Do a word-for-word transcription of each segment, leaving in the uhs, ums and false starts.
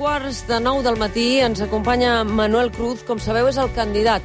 quarts de nou del matí ens acompanya Manuel Cruz. Com sabeu, és el candidat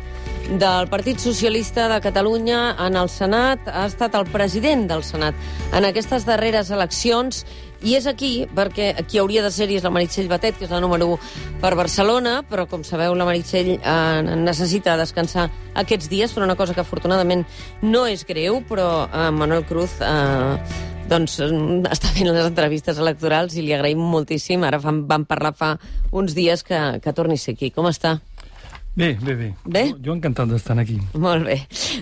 del Partit Socialista de Catalunya en el Senat. Ha estat el president del Senat en aquestes darreres eleccions i és aquí perquè qui hauria de ser-hi és la Meritxell Batet, que és la número u per Barcelona, però com sabeu la Meritxell eh, necessita descansar aquests dies per una cosa que afortunadament no és greu, però eh, Manuel Cruz eh, doncs està fent les entrevistes electorals i li agraïm moltíssim. Ara vam, vam parlar fa uns dies que, que torni a ser aquí. Com està? Bé, bé, bé. Bé? Jo, jo encantat d'estar aquí. Molt bé.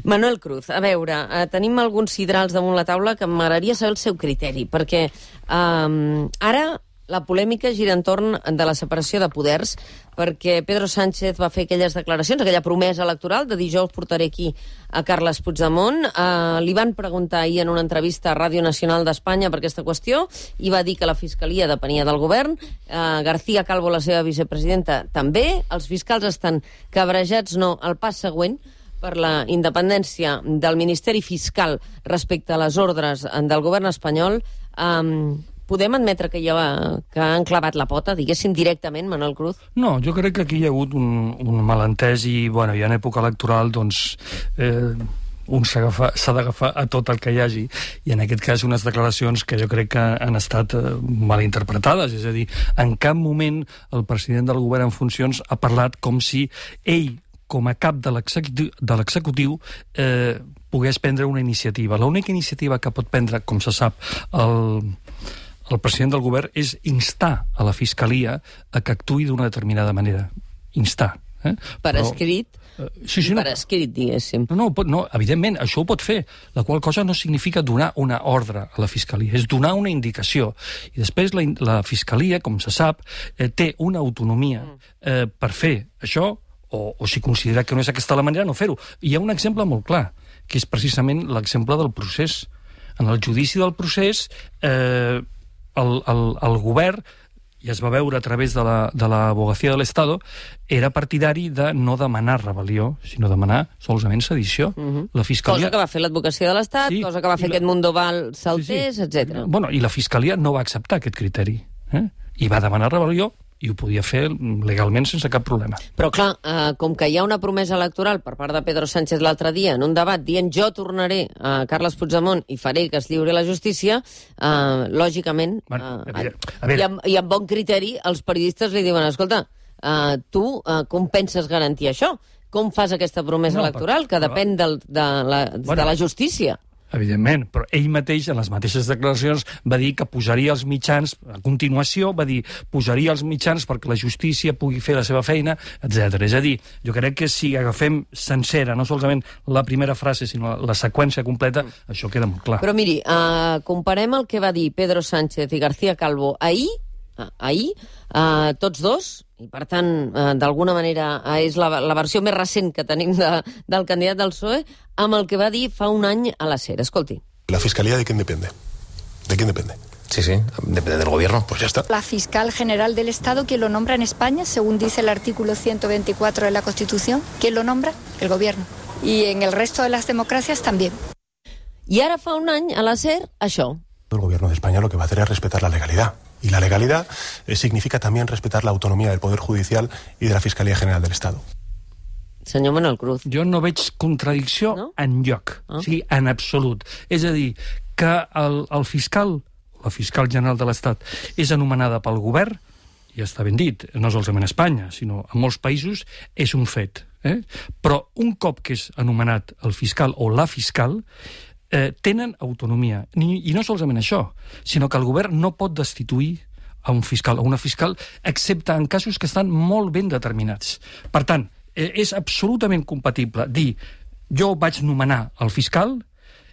Manuel Cruz, a veure, eh, tenim alguns sidrals damunt la taula que m'agradaria saber el seu criteri, perquè eh, ara la polèmica gira entorn de la separació de poders, perquè Pedro Sánchez va fer aquelles declaracions, aquella promesa electoral de dijous portaré aquí a Carles Puigdemont. Eh, li van preguntar ahir en una entrevista a Ràdio Nacional d'Espanya per aquesta qüestió i va dir que la Fiscalia depenia del govern. Eh, García Calvo, la seva vicepresidenta, també. Els fiscals estan cabrejats, no, al pas següent, per la independència del Ministeri Fiscal respecte a les ordres del govern espanyol. Eh, Podem admetre que, ha, que han clavat la pota, diguéssim, directament, Manuel Cruz? No, jo crec que aquí hi ha hagut un, un malentès i, bueno, i en època electoral, doncs, eh, un s'ha d'agafar a tot el que hi hagi, i en aquest cas unes declaracions que jo crec que han estat eh, malinterpretades, és a dir, en cap moment el president del govern en funcions ha parlat com si ell, com a cap de l'executiu, eh, pogués prendre una iniciativa. L'única iniciativa que pot prendre, com se sap, el... el president del govern és instar a la Fiscalia a que actuï d'una determinada manera. Instar. Eh? Per Però, escrit? Uh, sí, sí, no, per escrit, diguéssim. No, no, no, evidentment, això ho pot fer, la qual cosa no significa donar una ordre a la Fiscalia, és donar una indicació. I després la, la Fiscalia, com se sap, eh, té una autonomia eh, per fer això, o, o si considera que no és aquesta la manera, no fer-ho. Hi ha un exemple molt clar, que és precisament l'exemple del procés. En el judici del procés, eh, El, el, el govern, i es va veure a través de la, de l'Abogacía del Estado, era partidari de no demanar rebel·lió, sinó demanar solament sedició. Uh-huh. La Fiscalia... Cosa que va fer l'Advocacia de l'Estat, sí, cosa que va fer la... aquest Mundoval Saltés, sí, sí. etcètera. Bueno, i la Fiscalia no va acceptar aquest criteri, eh? I va demanar rebel·lió, i ho podia fer legalment sense cap problema. Però clar, eh, com que hi ha una promesa electoral per part de Pedro Sánchez l'altre dia en un debat dient jo tornaré a Carles Puigdemont i faré que es lliuri la justícia, eh, lògicament, bueno, eh, a veure, a veure. I, amb, i amb bon criteri, els periodistes li diuen, escolta, eh, tu eh, com penses garantir això? Com fas aquesta promesa no, electoral, que però, depèn del, de, la, bueno, de la justícia? Evidentment, però ell mateix, en les mateixes declaracions, va dir que posaria els mitjans, a continuació, va dir, posaria els mitjans perquè la justícia pugui fer la seva feina, etcètera. És a dir, jo crec que si agafem sencera, no solament la primera frase, sinó la, la seqüència completa, mm. això queda molt clar. Però miri, uh, comparem el que va dir Pedro Sánchez i García Calvo ahir, uh, ahir, uh, tots dos, i per tant, eh, d'alguna manera eh, és la, la versió més recent que tenim de, del candidat del P S O E, amb el que va dir fa un any a la SER. Escolti. ¿La Fiscalía de quién depende? ¿De quién depende? Sí, sí, depende del gobierno. Pues ya está. La fiscal general del Estado, ¿quién lo nombra en España? Según dice el artículo ciento veinticuatro de la Constitución, ¿quién lo nombra? El gobierno. Y en el resto de las democracias también. I ara fa un any a la SER, això. El gobierno de España lo que va a hacer es respetar la legalidad. Y la legalidad eh, significa también respetar la autonomía del Poder Judicial y de la Fiscalía General del Estado. Senyor Manuel Cruz. Jo no veig contradicció no? enlloc, ah. o sigui, en absolut. És a dir, que el, el fiscal, la fiscal general de l'Estat, és anomenada pel govern, ja està ben dit, no solament a Espanya, sinó a molts països, és un fet. Eh? Però un cop que és anomenat el fiscal o la fiscal, Eh, tenen autonomia. Ni, I no solament això, sinó que el govern no pot destituir a un fiscal o una fiscal, excepte en casos que estan molt ben determinats. Per tant, eh, és absolutament compatible dir jo vaig nomenar el fiscal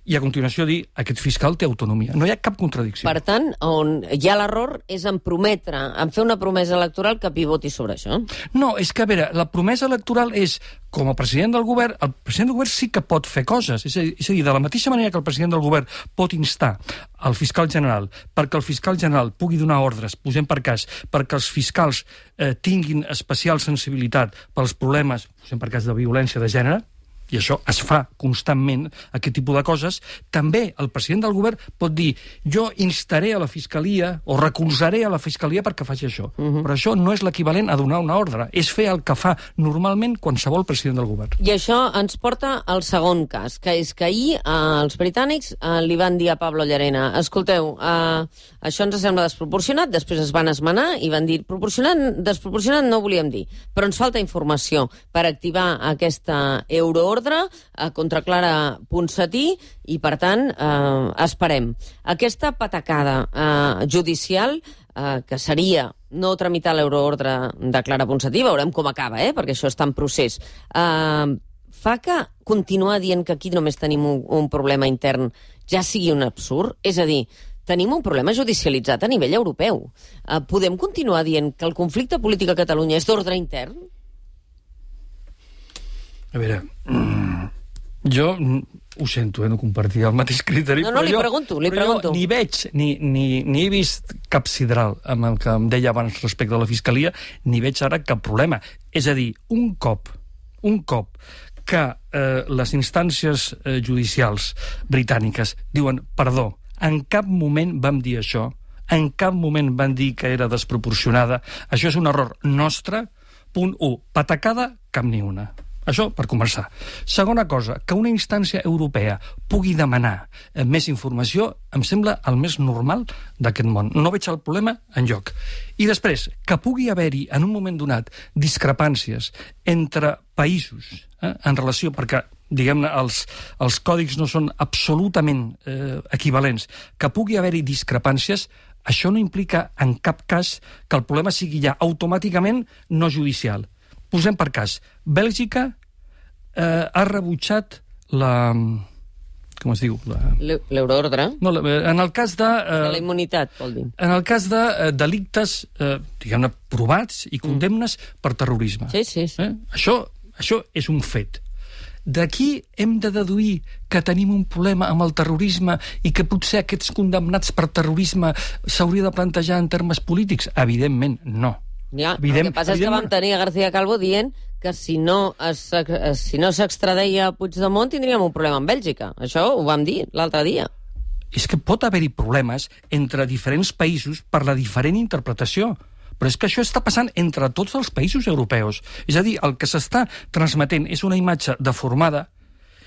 i a continuació dir aquest fiscal té autonomia. No hi ha cap contradicció. Per tant, on hi ha l'error és en prometre, en fer una promesa electoral que pivoti sobre això. No, és que, a veure, la promesa electoral és, com a president del govern, el president del govern sí que pot fer coses. És a dir, és a dir de la mateixa manera que el president del govern pot instar el fiscal general perquè el fiscal general pugui donar ordres, posem per cas, perquè els fiscals eh, tinguin especial sensibilitat pels problemes, posem per cas, de violència de gènere, i això es fa constantment, aquest tipus de coses, també el president del govern pot dir jo instaré a la Fiscalia o recolzaré a la Fiscalia perquè faci això. Uh-huh. Però això no és l'equivalent a donar una ordre, és fer el que fa normalment qualsevol president del govern. I això ens porta al segon cas, que és que ahir eh, els britànics eh, li van dir a Pablo Llarena, escolteu, eh, això ens sembla desproporcionat, després es van esmenar i van dir, proporcionat, desproporcionat no ho volíem dir, però ens falta informació per activar aquesta euroordre eh, contra Clara Ponsatí i, per tant, eh, esperem. Aquesta patacada eh, judicial, eh, que seria no tramitar l'euroordre de Clara Ponsatí, veurem com acaba, eh, perquè això està en procés, eh, fa que continuar dient que aquí només tenim un, un problema intern ja sigui un absurd? És a dir, tenim un problema judicialitzat a nivell europeu. Eh, podem continuar dient que el conflicte polític a Catalunya és d'ordre intern? A veure, jo ho sento, eh, no compartir el mateix criteri. No, no, li jo, pregunto, li però pregunto. Jo ni veig, ni, ni, ni he vist cap sidral amb el que em deia abans respecte a la Fiscalia, ni veig ara cap problema. És a dir, un cop, un cop que eh, les instàncies eh, judicials britàniques diuen, perdó, en cap moment vam dir això, en cap moment van dir que era desproporcionada, això és un error nostre, punt u, patacada, cap ni una. Això per començar. Segona cosa, que una instància europea pugui demanar eh, més informació em sembla el més normal d'aquest món. No veig el problema enlloc. I després, que pugui haver-hi en un moment donat discrepàncies entre països eh, en relació, perquè diguem-ne, els, els còdics no són absolutament eh, equivalents, que pugui haver-hi discrepàncies, això no implica en cap cas que el problema sigui ja automàticament no judicial. Posem per cas, Bèlgica eh, ha rebutjat la... com es diu? La... L'euroordre? No, la, en el cas de... Eh, de la immunitat, vol dir. En el cas de eh, delictes, eh, diguem-ne, provats i condemnes mm. per terrorisme. Sí, sí, sí. Eh? Això, això és un fet. D'aquí hem de deduir que tenim un problema amb el terrorisme i que potser aquests condemnats per terrorisme s'hauria de plantejar en termes polítics? Evidentment, no. Ja, evident, el que passa és que vam tenir a García Calvo dient que si no es, si no s'extradeia Puigdemont tindríem un problema amb Bèlgica. Això ho vam dir l'altre dia. És que pot haver-hi problemes entre diferents països per la diferent interpretació. Però és que això està passant entre tots els països europeus. És a dir, el que s'està transmetent és una imatge deformada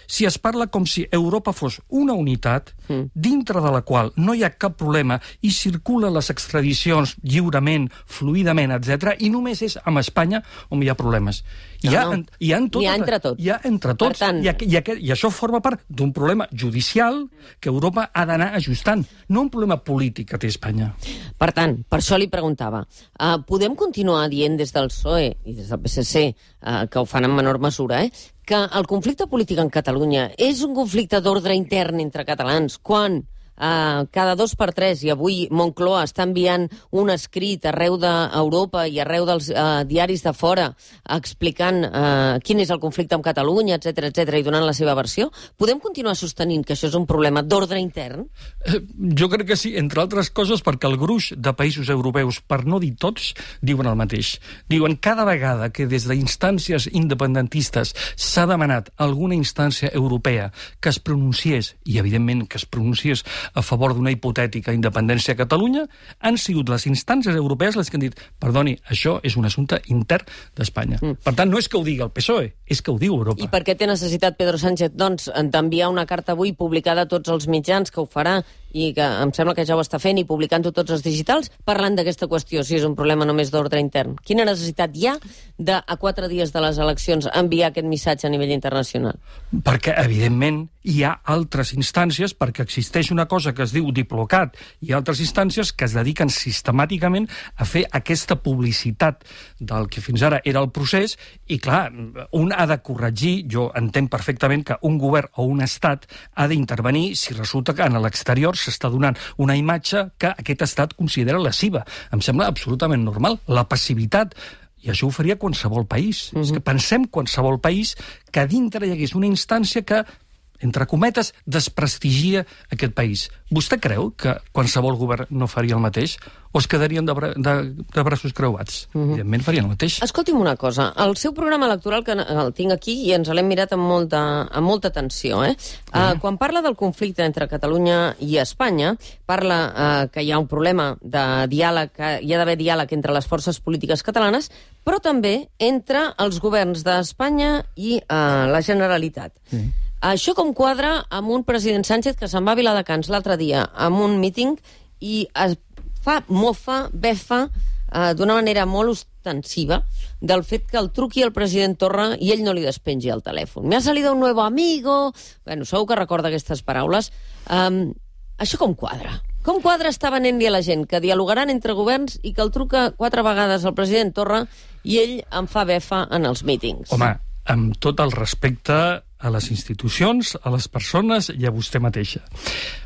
si es parla com si Europa fos una unitat mm. dintre de la qual no hi ha cap problema i circulen les extradicions lliurement, fluidament, etcètera, i només és amb Espanya on hi ha problemes. No, hi, ha, no. hi ha, tot, hi ha entre tots. Hi ha entre tots. Tant... I, i, i, I això forma part d'un problema judicial que Europa ha d'anar ajustant, no un problema polític que té Espanya. Per tant, per això li preguntava, uh, podem continuar dient des del P S O E i des del P S C, uh, que ho fan en menor mesura, eh, que el conflicte polític en Catalunya és un conflicte d'ordre intern entre catalans, quan Uh, cada dos per tres, i avui Moncloa està enviant un escrit arreu d'Europa i arreu dels uh, diaris de fora explicant uh, quin és el conflicte amb Catalunya, etcètera, etcètera, i donant la seva versió. Podem continuar sostenint que això és un problema d'ordre intern? Eh, jo crec que sí, entre altres coses perquè el gruix de països europeus, per no dir tots, diuen el mateix. Diuen cada vegada que des d'instàncies independentistes s'ha demanat alguna instància europea que es pronunciés, i evidentment que es pronunciés a favor d'una hipotètica independència a Catalunya, han sigut les instàncies europees les que han dit, perdoni, això és un assumpte intern d'Espanya. Mm. Per tant, no és que ho digui el P S O E, és que ho diu Europa. I per què té necessitat Pedro Sánchez, doncs, d'enviar una carta avui publicada a tots els mitjans, que ho farà, i que em sembla que ja ho està fent, i publicant-ho tots els digitals, parlant d'aquesta qüestió, si és un problema només d'ordre intern? Quina necessitat hi ha de, a quatre dies de les eleccions, enviar aquest missatge a nivell internacional? Perquè, evidentment, hi ha altres instàncies, perquè existeix una cosa que es diu Diplocat, i altres instàncies que es dediquen sistemàticament a fer aquesta publicitat del que fins ara era el procés, i clar, un ha de corregir, jo entenc perfectament que un govern o un estat ha d'intervenir si resulta que en l'exterior s'està donant una imatge que aquest estat considera lesiva. Em sembla absolutament normal. La passivitat, i això ho faria qualsevol país. Mm-hmm. És que pensem qualsevol país que dintre hi hagués una instància que entre cometes, desprestigia aquest país. Vostè creu que qualsevol govern no faria el mateix? O es quedarien de, bra de, de braços creuats? Mm-hmm. Evidentment farien el mateix. Escolti'm una cosa, el seu programa electoral, que el tinc aquí i ens l'hem mirat amb molta, amb molta atenció, eh? Mm-hmm. uh, quan parla del conflicte entre Catalunya i Espanya, parla uh, que hi ha un problema de diàleg, que hi ha d'haver diàleg entre les forces polítiques catalanes, però també entre els governs d'Espanya i uh, la Generalitat. Mm. Això com quadra amb un president Sánchez que se'n va a Viladecans l'altre dia amb un míting i es fa mofa, befa, eh, d'una manera molt ostensiva del fet que el truqui el president Torra i ell no li despengi el telèfon. Me ha salido un nuevo amigo... Bueno, segur que recorda aquestes paraules. Um, això com quadra? Com quadra està venent-li a la gent que dialogaran entre governs i que el truca quatre vegades el president Torra i ell en fa befa en els mítings? Home, amb tot el respecte a les institucions, a les persones i a vostè mateixa.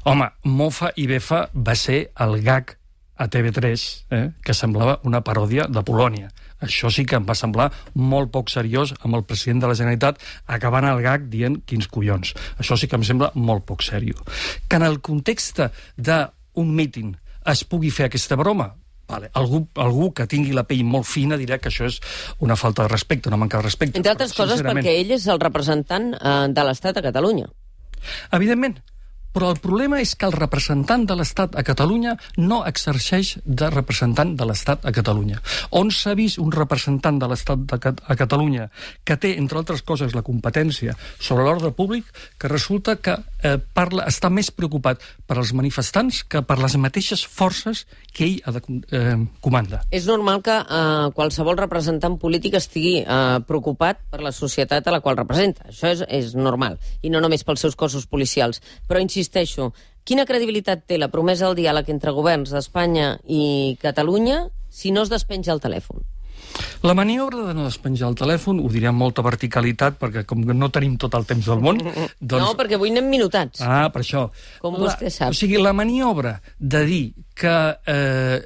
Home, mofa i befa va ser el gag a T V tres, eh, que semblava una paròdia de Polònia. Això sí que em va semblar molt poc seriós amb el president de la Generalitat acabant el gag dient quins collons. Això sí que em sembla molt poc seriós. Que en el context d'un míting es pugui fer aquesta broma, vale. Algú, algú que tingui la pell molt fina dirà que això és una falta de respecte, una manca de respecte. Entre altres però, coses perquè ell és el representant eh, de l'Estat a Catalunya. Evidentment, però el problema és que el representant de l'Estat a Catalunya no exerceix de representant de l'Estat a Catalunya. On s'ha vist un representant de l'Estat a Catalunya que té, entre altres coses, la competència sobre l'ordre públic, que resulta que eh, parla, està més preocupat per als manifestants que per les mateixes forces que ell ha de eh, comanda. És normal que eh, qualsevol representant polític estigui eh, preocupat per la societat a la qual representa. Això és, és normal, i no només pels seus cossos policials. Però, insisteixo, quina credibilitat té la promesa del diàleg entre governs d'Espanya i Catalunya si no es despenja el telèfon? La maniobra de no despenjar el telèfon, ho diré amb molta verticalitat, perquè com que no tenim tot el temps del món... Doncs... No, perquè avui anem minutats. Ah, per això. Com la, vostè sap. O sigui, la maniobra de dir que eh,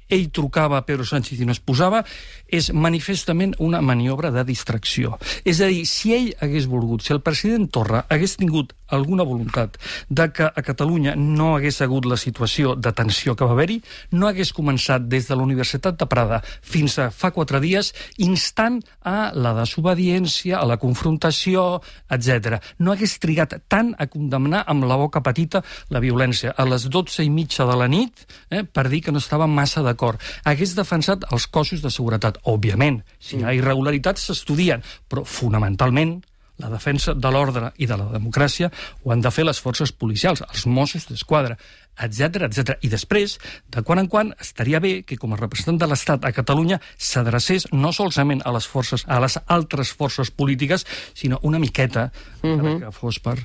ell trucava a Pedro Sánchez i no es posava és manifestament una maniobra de distracció. És a dir, si ell hagués volgut, si el president Torra hagués tingut alguna voluntat de que a Catalunya no hagués hagut la situació de tensió que va haver-hi, no hagués començat des de la Universitat de Prada fins a fa quatre dies instant a la desobediència, a la confrontació, etcètera. No hagués trigat tant a condemnar amb la boca petita la violència a les dotze i mitja de la nit eh, per dir que no estava massa d'acord. Hagués defensat els cossos de seguretat. Òbviament, si hi ha irregularitats s'estudien, però fonamentalment la defensa de l'ordre i de la democràcia ho han de fer les forces policials, els Mossos d'Esquadra, etcètera, etcètera. I després, de quan en quan, estaria bé que com a representant de l'Estat a Catalunya s'adrecés no solament a les forces, a les altres forces polítiques, sinó una miqueta, uh-huh. que fos per,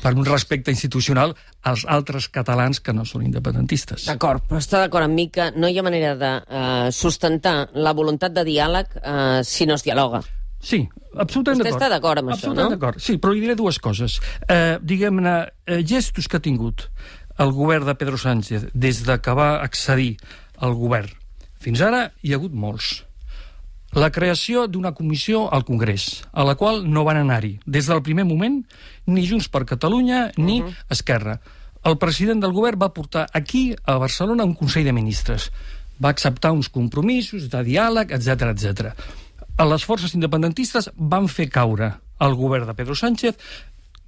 per un respecte institucional als altres catalans que no són independentistes. D'acord, però està d'acord amb mi que no hi ha manera de uh, sustentar la voluntat de diàleg uh, si no es dialoga. Sí, absolutament d'acord. Vostè està d'acord amb això, no? D'acord, sí, però li diré dues coses. Eh, diguem-ne, eh, gestos que ha tingut el govern de Pedro Sánchez des de que va accedir al govern. Fins ara hi ha hagut molts. La creació d'una comissió al Congrés, a la qual no van anar-hi, des del primer moment, ni Junts per Catalunya ni uh-huh. Esquerra. El president del govern va portar aquí, a Barcelona, un Consell de Ministres. Va acceptar uns compromisos de diàleg, etcètera, etcètera. Les forces independentistes van fer caure el govern de Pedro Sánchez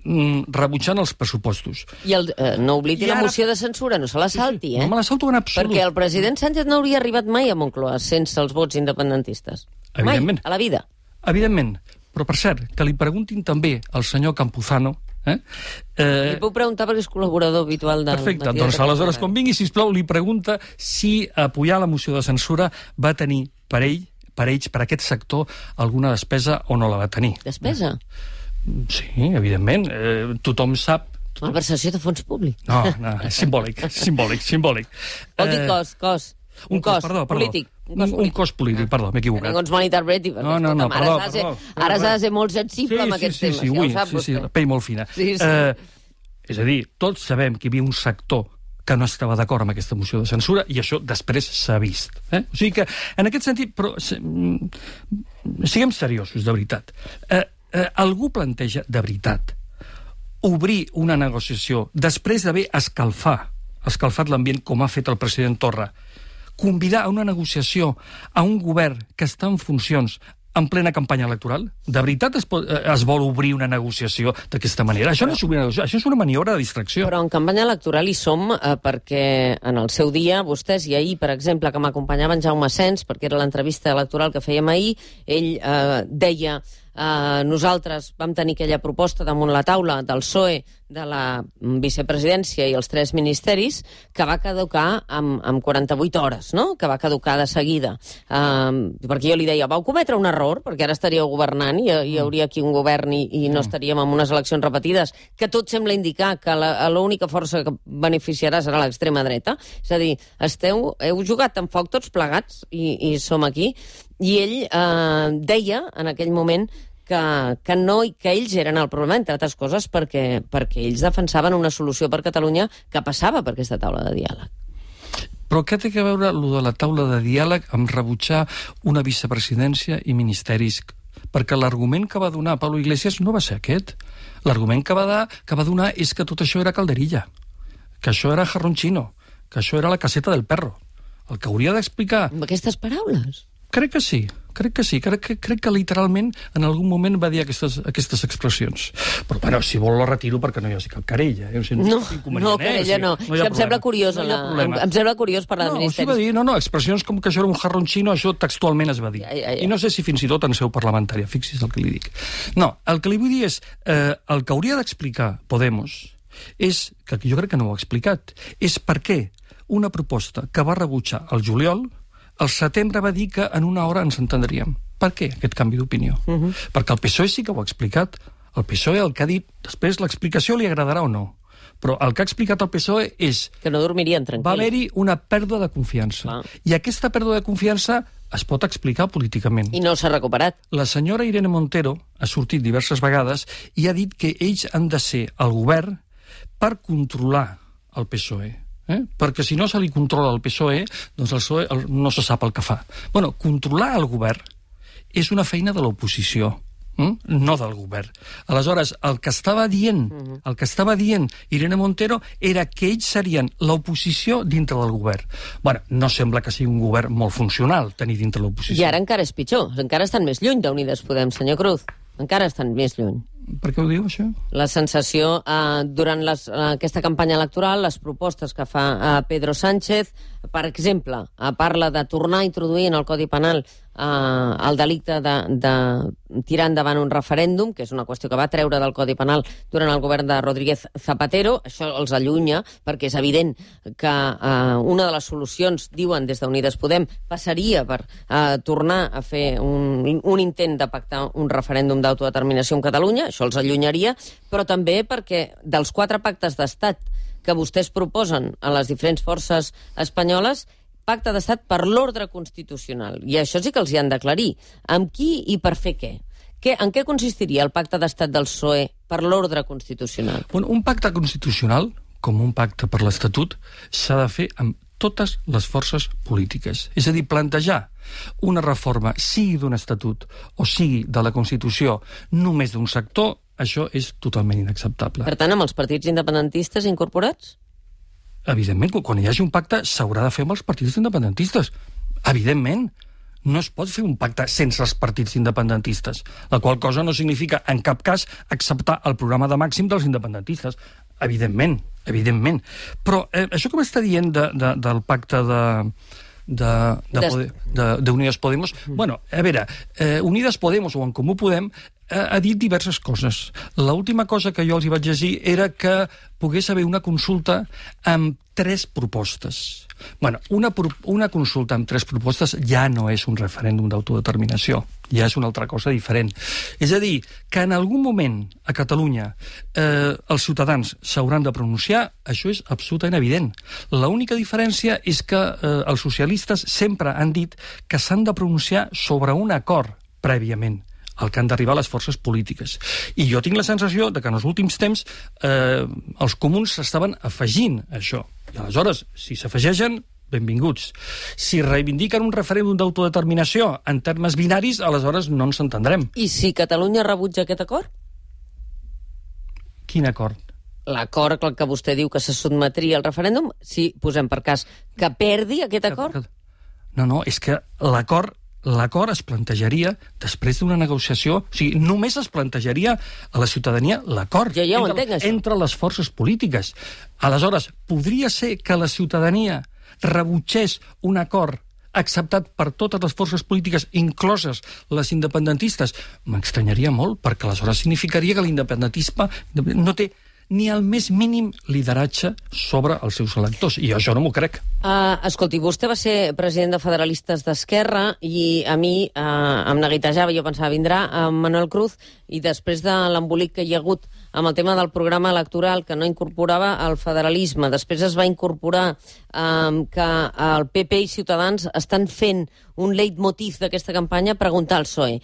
mm, rebutjant els pressupostos. I el, eh, no oblidi I la ara... moció de censura, no se la salti, eh? No me la salto en absolut. Perquè el president Sánchez no hauria arribat mai a Moncloa sense els vots independentistes. Evidentment. Mai, a la vida. Evidentment. Però, per cert, que li preguntin també al senyor Campuzano. Eh? Eh... Li puc preguntar perquè és col·laborador habitual del... Perfecte, doncs aleshores, quan vingui, sisplau, li pregunta si apoyar la moció de censura va tenir per ell per ells, per aquest sector, alguna despesa o no la va tenir. Despesa? Sí, evidentment. Eh, tothom sap... Tothom... Malversació de fons públic. No, no, és simbòlic, simbòlic, simbòlic. Vol dir cos, cos. Un, un cos, cos perdó, perdó. polític. Un cos, un, un cos polític, perdó, m'he equivocat. Que ningú ens malinterpreti, perquè no, no, no, escolta'm, perdó, ara s'ha perdó, de, ara s'ha de ser molt sensible sí, amb aquests sí, temes, sí, ja ui, ho sap sí, vostè. Sí, la pell molt fina. Sí, sí. Eh, és a dir, tots sabem que hi havia un sector que no estava d'acord amb aquesta moció de censura, i això després s'ha vist. Eh? O sigui que, en aquest sentit, però, siguem seriosos, de veritat. Eh, eh, algú planteja, de veritat, obrir una negociació, després d'haver escalfat, escalfat l'ambient com ha fet el president Torra, convidar a una negociació a un govern que està en funcions en plena campanya electoral? De veritat es, pot, es vol obrir una negociació d'aquesta manera? Això no és obrir una negociació, això és una maniobra de distracció. Però en campanya electoral hi som eh, perquè en el seu dia, vostès, i ahir, per exemple, que m'acompanyaven Jaume Sens, perquè era l'entrevista electoral que fèiem ahir, ell eh, deia... Uh, nosaltres vam tenir aquella proposta damunt la taula del P S O E, de la vicepresidència i els tres ministeris, que va caducar amb, amb quaranta-vuit hores, no? Que va caducar de seguida. Uh, perquè jo li deia, vau cometre un error, perquè ara estaríeu governant i hi hauria aquí un govern i, i no estaríem en unes eleccions repetides, que tot sembla indicar que l'única força que beneficiarà serà l'extrema dreta. És a dir, esteu, heu jugat amb foc tots plegats i, i som aquí. I ell eh, deia en aquell moment que, que, no, que ells eren el problema, entre altres coses, perquè, perquè ells defensaven una solució per Catalunya que passava per aquesta taula de diàleg. Però què té que veure allò de la taula de diàleg amb rebutjar una vicepresidència i ministeris? Perquè l'argument que va donar Pablo Iglesias no va ser aquest. L'argument que va, dar, que va donar és que tot això era calderilla, que això era jarrón chino, que això era la caseta del perro. El que hauria d'explicar... Amb aquestes paraules? Crec que sí, crec que sí. Crec que, crec que literalment en algun moment va dir aquestes, aquestes expressions. Però, bueno, si vol lo retiro perquè no hi hagi cap querella. Eh? O sigui, no, no, no, querella no. no Això em sembla curiós. No la, em, em sembla curiós parlar no, del Ministeri. No, va dir, no, no, expressions com que això era un jarrón chino, això textualment es va dir. Ja, ja, ja. I no sé si fins i tot en seu parlamentària, fixi's el que li dic. No, el que li vull dir és, eh, el que hauria d'explicar Podemos és, que jo crec que no ho ha explicat, és per què una proposta que va rebutjar el juliol, al setembre va dir que en una hora ens entendríem. Per què aquest canvi d'opinió? Uh -huh. Perquè el P S O E sí que ho ha explicat. El P S O E el que ha dit, després l'explicació li agradarà o no, però el que ha explicat el P S O E és... Que no dormirien tranquil. Va haver-hi una pèrdua de confiança. Clar. I aquesta pèrdua de confiança es pot explicar políticament. I no s'ha recuperat. La senyora Irene Montero ha sortit diverses vegades i ha dit que ells han de ser el govern per controlar el P S O E. Eh? Perquè si no se li controla el P S O E, doncs el P S O E no se sap el que fa. Bueno, controlar el govern és una feina de l'oposició, eh? No del govern. Aleshores, el que estava dient, el que estava dient Irene Montero era que ells serien l'oposició dintre del govern. Bueno, no sembla que sigui un govern molt funcional tenir dintre l'oposició. I ara encara és pitjor, encara estan més lluny d'Unides Podem, senyor Cruz. Encara estan més lluny. Per què ho diu, això? La sensació, eh, durant les, eh, aquesta campanya electoral, les propostes que fa eh, Pedro Sánchez, per exemple, eh, parla de tornar a introduir en el Codi Penal eh, el delicte de, de tirar endavant un referèndum, que és una qüestió que va treure del Codi Penal durant el govern de Rodríguez Zapatero. Això els allunya, perquè és evident que eh, una de les solucions, diuen des d'Unides Podem, passaria per eh, tornar a fer un, un intent de pactar un referèndum d'autodeterminació en Catalunya. Això els allunyaria, però també perquè dels quatre pactes d'estat que vostès proposen a les diferents forces espanyoles, pacte d'estat per l'ordre constitucional. I això sí que els hi han d'aclarir. Amb qui i per fer què? què? En què consistiria el pacte d'estat del P S O E per l'ordre constitucional? Bueno, un pacte constitucional, com un pacte per l'Estatut, s'ha de fer amb totes les forces polítiques. És a dir, plantejar una reforma, sigui d'un estatut o sigui de la Constitució, només d'un sector, això és totalment inacceptable. Per tant, amb els partits independentistes incorporats? Evidentment, quan hi hagi un pacte s'haurà de fer amb els partits independentistes. Evidentment. No es pot fer un pacte sense els partits independentistes, la qual cosa no significa, en cap cas, acceptar el programa de màxim dels independentistes. Evidentment, evidentment. Però eh, això que m'està dient de, de, del pacte de... de, de, de, de, de Unides Podemos, bueno, a veure, eh, Unides Podemos o En Comú Podem eh, ha dit diverses coses. L'última cosa que jo els hi vaig llegir era que pogués haver una consulta amb tres propostes. Bueno, una, una consulta amb tres propostes ja no és un referèndum d'autodeterminació, ja és una altra cosa diferent. És a dir, que en algun moment a Catalunya eh, els ciutadans s'hauran de pronunciar, això és absolutament evident. L'única diferència és que eh, els socialistes sempre han dit que s'han de pronunciar sobre un acord prèviament al que han d'arribar les forces polítiques. I jo tinc la sensació de que en els últims temps eh, els comuns s'estaven afegint a això. I aleshores, si s'afegeixen, benvinguts. Si reivindiquen un referèndum d'autodeterminació en termes binaris, aleshores no ens entendrem. I si Catalunya rebutja aquest acord? Quin acord? L'acord al que vostè diu que se sotmetria al referèndum, si posem per cas que perdi aquest acord? No, no, és que l'acord l'acord es plantejaria després d'una negociació, o sigui, només es plantejaria a la ciutadania l'acord ja, ja entre, entenc, entre les forces polítiques. Aleshores, podria ser que la ciutadania rebutgés un acord acceptat per totes les forces polítiques, incloses les independentistes? M'estranyaria molt, perquè aleshores significaria que l'independentisme no té ni el més mínim lideratge sobre els seus electors, i jo això no m'ho crec. Uh, escolti, vostè va ser president de Federalistes d'Esquerra i a mi uh, em neguitejava, jo pensava, vindrà uh, Manuel Cruz, i després de l'embolic que hi ha hagut amb el tema del programa electoral que no incorporava el federalisme, després es va incorporar um, que el P P i Ciutadans estan fent un leitmotiv d'aquesta campanya, preguntar al P S O E: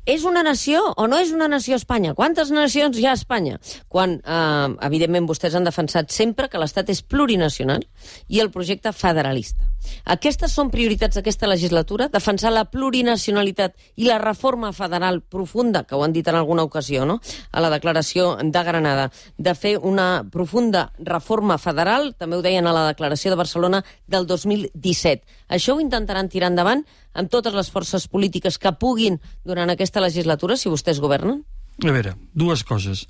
és una nació o no és una nació Espanya? Quantes nacions hi ha a Espanya? Quan, eh, evidentment, vostès han defensat sempre que l'Estat és plurinacional i el projecte federalista. Aquestes són prioritats d'aquesta legislatura? Defensar la plurinacionalitat i la reforma federal profunda, que ho han dit en alguna ocasió, no?, a la declaració de Granada, de fer una profunda reforma federal, també ho deien a la declaració de Barcelona del dos mil disset. Això ho intentaran tirar endavant amb totes les forces polítiques que puguin durant aquesta legislatura, si vostès governen? A veure, dues coses.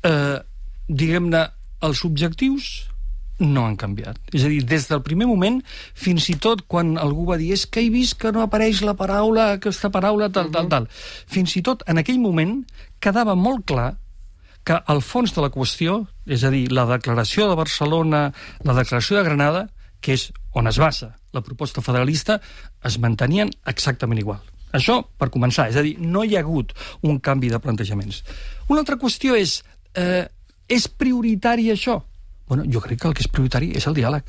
Eh, diguem-ne, els objectius no han canviat. És a dir, des del primer moment, fins i tot quan algú va dir és que he vist que no apareix la paraula, aquesta paraula, tal, tal, tal. Fins i tot en aquell moment quedava molt clar que el fons de la qüestió, és a dir, la declaració de Barcelona, la declaració de Granada, que és on es basa la proposta federalista, es mantenien exactament igual. Això, per començar, és a dir, no hi ha hagut un canvi de plantejaments. Una altra qüestió és, eh, és prioritari això? Bueno, jo crec que el que és prioritari és el diàleg.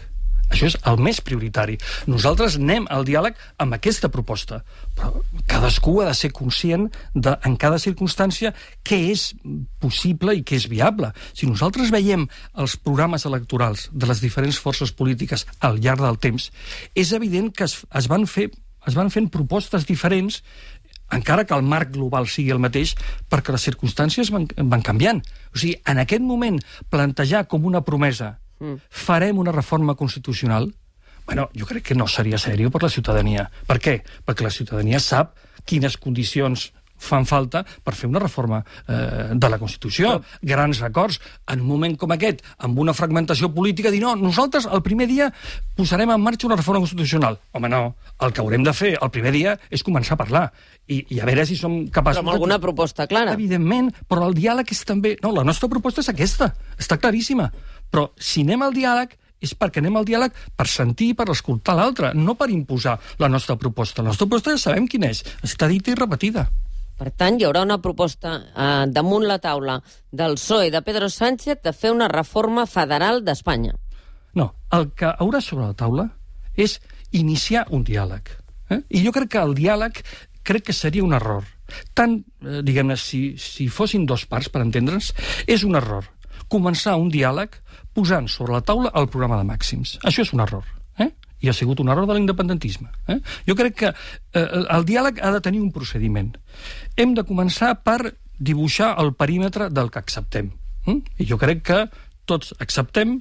Això és el més prioritari. Nosaltres anem al diàleg amb aquesta proposta, però cadascú ha de ser conscient de, en cada circumstància, què és possible i què és viable. Si nosaltres veiem els programes electorals de les diferents forces polítiques al llarg del temps, és evident que es, es van fer es van fent propostes diferents, encara que el marc global sigui el mateix, perquè les circumstàncies van, van canviant. O sigui, en aquest moment, plantejar com una promesa mm. farem una reforma constitucional, bueno, jo crec que no seria seriós per la ciutadania. Per què? Perquè la ciutadania sap quines condicions fan falta per fer una reforma eh, de la Constitució. Grans acords. En un moment com aquest, amb una fragmentació política, dir no, nosaltres el primer dia posarem en marxa una reforma constitucional. Home, no. El que haurem de fer el primer dia és començar a parlar. I, i a veure si som capaços... Però amb alguna proposta clara. Evidentment, però el diàleg és també... No, la nostra proposta és aquesta. Està claríssima. Però si anem al diàleg és perquè anem al diàleg per sentir i per escoltar l'altre, no per imposar la nostra proposta. La nostra proposta ja sabem quina és. Està dita i repetida. Per tant, hi haurà una proposta eh, damunt la taula del P S O E de Pedro Sánchez de fer una reforma federal d'Espanya. No, el que haurà sobre la taula és iniciar un diàleg. Eh? I jo crec que el diàleg crec que seria un error. Tant, eh, diguem-ne, si, si fossin dos parts, per entendre'ns, és un error començar un diàleg posant sobre la taula el programa de màxims. Això és un error. Eh? I ha sigut un error de l'independentisme. Eh? Jo crec que eh, el diàleg ha de tenir un procediment. Hem de començar per dibuixar el perímetre del que acceptem. Eh? I jo crec que tots acceptem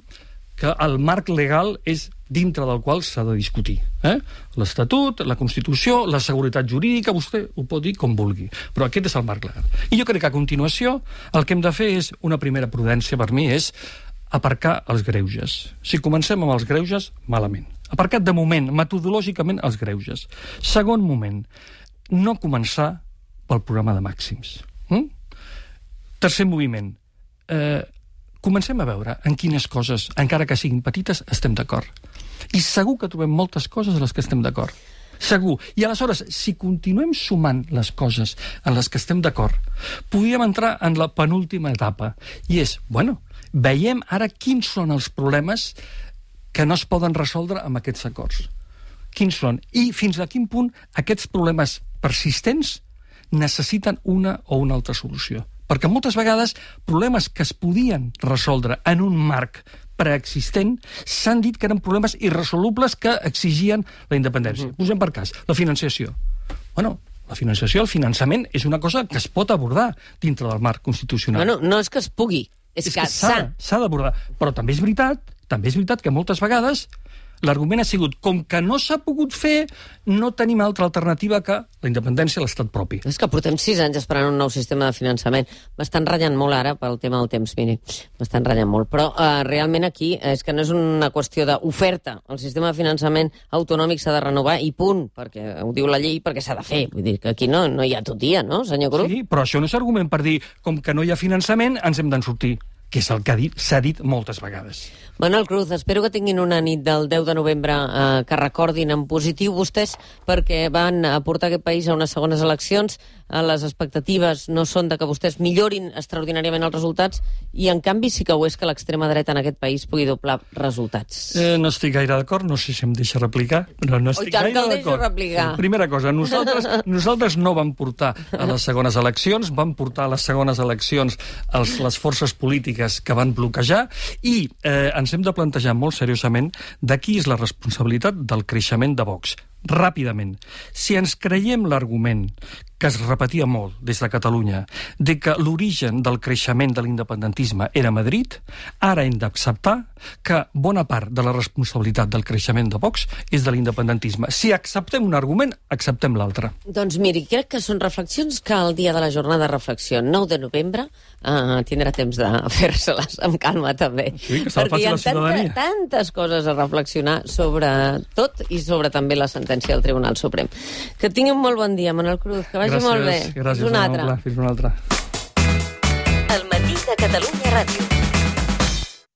que el marc legal és dintre del qual s'ha de discutir. Eh? L'Estatut, la Constitució, la seguretat jurídica, vostè ho pot dir com vulgui, però aquest és el marc legal. I jo crec que a continuació el que hem de fer és, una primera prudència per mi, és aparcar els greuges. Si comencem amb els greuges, malament. Aparcat de moment, metodològicament, els greuges. Segon moment, no començar pel programa de màxims. Mm? Tercer moviment, eh, comencem a veure en quines coses, encara que siguin petites, estem d'acord. I segur que trobem moltes coses en les que estem d'acord. Segur. I aleshores, si continuem sumant les coses en les que estem d'acord, podríem entrar en la penúltima etapa. I és, bueno, veiem ara quins són els problemes que no es poden resoldre amb aquests acords. Quins són? I fins a quin punt aquests problemes persistents necessiten una o una altra solució. Perquè moltes vegades problemes que es podien resoldre en un marc preexistent s'han dit que eren problemes irresolubles que exigien la independència. Uh-huh. Posem per cas la financiació. Bueno, la financiació, el finançament, és una cosa que es pot abordar dintre del marc constitucional. Bueno, no és que es pugui. És, és que, que s'ha s'ha d'abordar. Però també és veritat, també és veritat que moltes vegades l'argument ha sigut, com que no s'ha pogut fer, no tenim altra alternativa que la independència a l'estat propi. És que portem sis anys esperant un nou sistema de finançament. M'estan ratllant molt ara pel tema del temps, miri. M'estan ratllant molt. Però uh, realment aquí és que no és una qüestió d'oferta. El sistema de finançament autonòmic s'ha de renovar i punt, perquè ho diu la llei, perquè s'ha de fer. Vull dir que aquí no, no hi ha totia, no, senyor Cruz? Sí, però això no és argument per dir, com que no hi ha finançament, ens hem d'en sortir, que és el que ha dit, s'ha dit moltes vegades. Manuel Cruz, espero que tinguin una nit del deu de novembre eh, que recordin en positiu vostès, perquè van portar aquest país a unes segones eleccions. Eh, les expectatives no són de que vostès millorin extraordinàriament els resultats i, en canvi, sí que ho és que l'extrema dreta en aquest país pugui doblar resultats. Eh, no estic gaire d'acord, no sé si em deixa replicar, però no estic Oi, tant gaire que el deixo d'acord. replicar. Primera cosa, nosaltres, nosaltres no vam portar a les segones eleccions, vam portar a les segones eleccions els, les forces polítiques que van bloquejar i eh, ens hem de plantejar molt seriosament de qui és la responsabilitat del creixement de Vox. Ràpidament. Si ens creiem l'argument que es repetia molt des de Catalunya, de que l'origen del creixement de l'independentisme era Madrid, ara hem d'acceptar que bona part de la responsabilitat del creixement de Vox és de l'independentisme. Si acceptem un argument, acceptem l'altre. Doncs miri, crec que són reflexions que el dia de la jornada de reflexió, nou de novembre, eh, tindrà temps de fer-se-les amb calma també. Sí, que se'l perquè hi faci ha la ciutadania. tanta, tantes coses a reflexionar sobre tot i sobre també la sentència del Tribunal Suprem. Que tingui un molt bon dia, Manuel Cruz, que vagi gràcies, molt bé. Gràcies, Fins un altre. Fins un altre. El matí de Catalunya Ràdio.